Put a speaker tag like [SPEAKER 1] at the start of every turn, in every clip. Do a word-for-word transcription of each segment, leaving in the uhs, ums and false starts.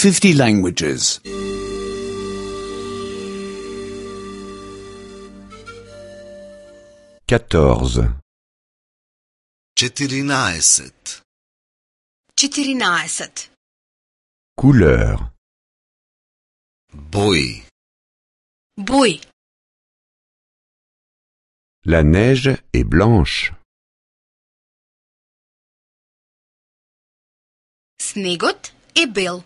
[SPEAKER 1] fifty languages.
[SPEAKER 2] quatorze.
[SPEAKER 3] четиринаесет.
[SPEAKER 4] четиринаесет.
[SPEAKER 2] Couleur.
[SPEAKER 3] Бои.
[SPEAKER 4] Бои.
[SPEAKER 2] La neige est blanche.
[SPEAKER 4] Снегот е бел.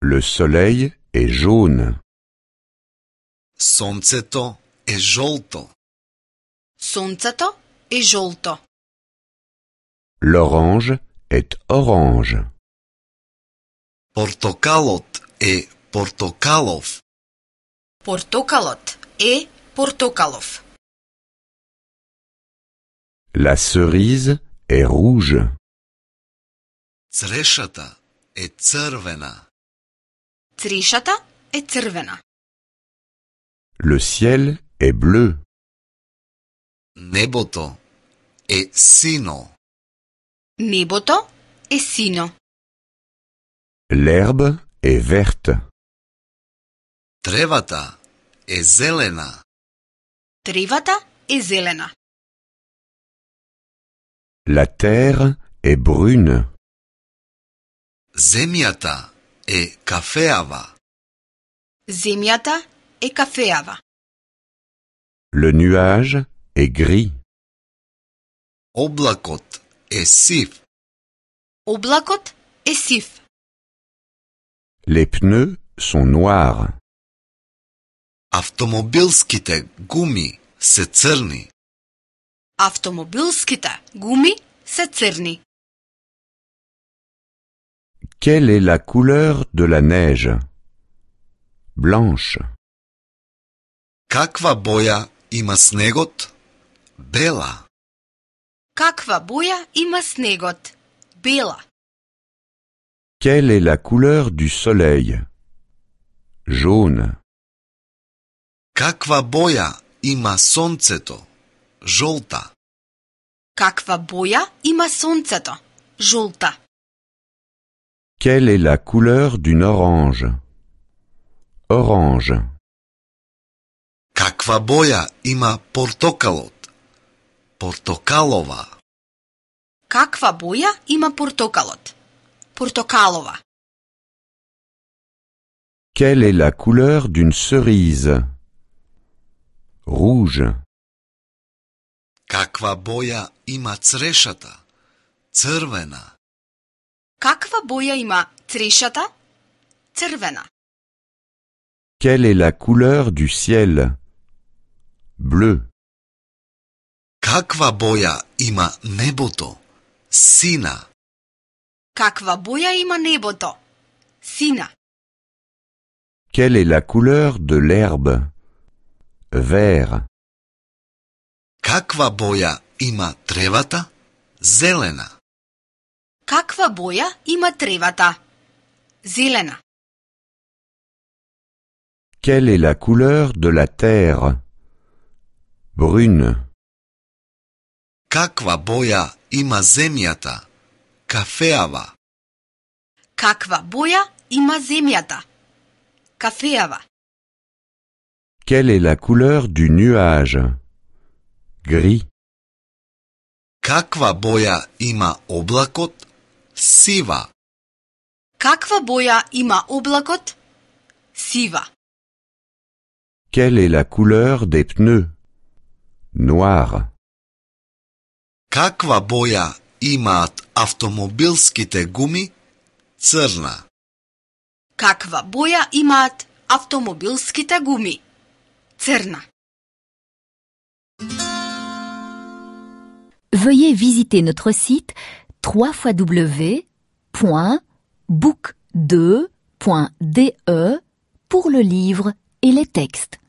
[SPEAKER 2] Le soleil est jaune.
[SPEAKER 3] Сонцето е жолто.
[SPEAKER 4] Сонцето е жолто.
[SPEAKER 2] L'orange est orange.
[SPEAKER 3] Портокалот е портокалов.
[SPEAKER 4] Портокалот е портокалов.
[SPEAKER 2] La cerise est rouge.
[SPEAKER 3] Црешата е црвена.
[SPEAKER 4] Црешата е црвена.
[SPEAKER 2] Le ciel est bleu.
[SPEAKER 3] Небото е сино.
[SPEAKER 4] Небото е сино.
[SPEAKER 2] L'herbe est verte.
[SPEAKER 3] Тревата е зелена.
[SPEAKER 4] Тревата е зелена.
[SPEAKER 2] La terre est brune.
[SPEAKER 3] Земјата е кафеава.
[SPEAKER 4] Земјата е кафеава.
[SPEAKER 2] Le nuage est gris.
[SPEAKER 3] Облакот е сив.
[SPEAKER 4] Облакот е сив.
[SPEAKER 2] Les pneus sont noirs.
[SPEAKER 3] Автомобилските гуми се црни.
[SPEAKER 4] Автомобилските гуми се црни.
[SPEAKER 2] Quelle est la couleur de la neige? Blanche.
[SPEAKER 3] Каква боја има снегот? Бела.
[SPEAKER 4] Каква боја има снегот? Бела.
[SPEAKER 2] Quelle est la couleur du soleil? Jaune.
[SPEAKER 3] Каква боја има сонцето? Жолта.
[SPEAKER 4] Каква боја има сонцето? Жолта.
[SPEAKER 2] Quelle est la couleur d'une orange? Orange.
[SPEAKER 3] Каква боја има портокалот? Портокалова.
[SPEAKER 4] Каква боја има портокалот? Портокалова.
[SPEAKER 2] Quelle est la couleur d'une cerise? Rouge.
[SPEAKER 3] Каква боја има црешата? Црвена.
[SPEAKER 4] Каква боја има црешата? Црвена.
[SPEAKER 2] Quelle est la couleur du ciel? Bleu.
[SPEAKER 3] Каква боја има небото? Сина.
[SPEAKER 4] Каква боја има небото? Сина.
[SPEAKER 2] Quelle est la couleur de l'herbe? Vert.
[SPEAKER 3] Каква боја има тревата? Зелена.
[SPEAKER 4] Каква боја има тревата? Зелена.
[SPEAKER 2] Quelle est la couleur de la terre? Brune.
[SPEAKER 3] Каква боја има земјата? Кафеава.
[SPEAKER 4] Каква боја има земјата? Кафеава.
[SPEAKER 2] Quelle est la couleur du nuage? Gris.
[SPEAKER 3] Каква боја има облакот? Сива.
[SPEAKER 4] Каква боја има облакот? Сива.
[SPEAKER 2] Quelle est la couleur des pneus? Noir.
[SPEAKER 3] Каква боја имаат автомобилските гуми? Црна.
[SPEAKER 4] Каква боја имаат автомобилските гуми? Црна.
[SPEAKER 5] Veuillez visiter notre site w w w point book deux point d e pour le livre et les textes.